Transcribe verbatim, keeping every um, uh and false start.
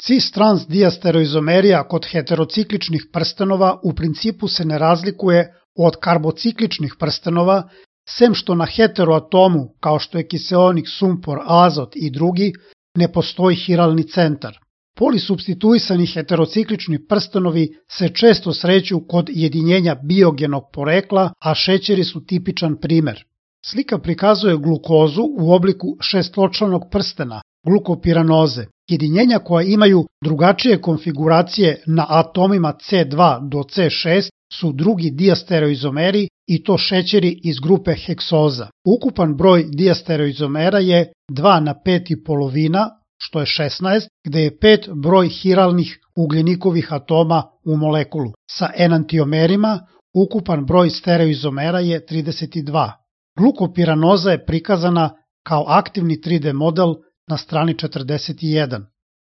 Cis-trans diastereoizomerija kod heterocikličnih prstenova u principu se ne razlikuje od karbocikličnih prstenova, sem što na heteroatomu, kao što je kiseonik, sumpor, azot i drugi, ne postoji hiralni centar. Polisupstituisani heterociklični prstenovi se često sreću kod jedinjenja biogenog porekla, a šećeri su tipičan primer. Slika prikazuje glukozu u obliku šestločlanog prstena, glukopiranoze. Jedinjenja koja imaju drugačije konfiguracije na atomima C dva do C šest su drugi diastereoizomeri i to šećeri iz grupe heksoza. Ukupan broj diastereoizomera je dva na pet i polovina, što je šesnaest, gde je pet broj hiralnih ugljenikovih atoma u molekulu. Sa enantiomerima ukupan broj stereoizomera je trideset dva. Glukopiranoza je prikazana kao aktivni tri D model na strani četrdeset jedan.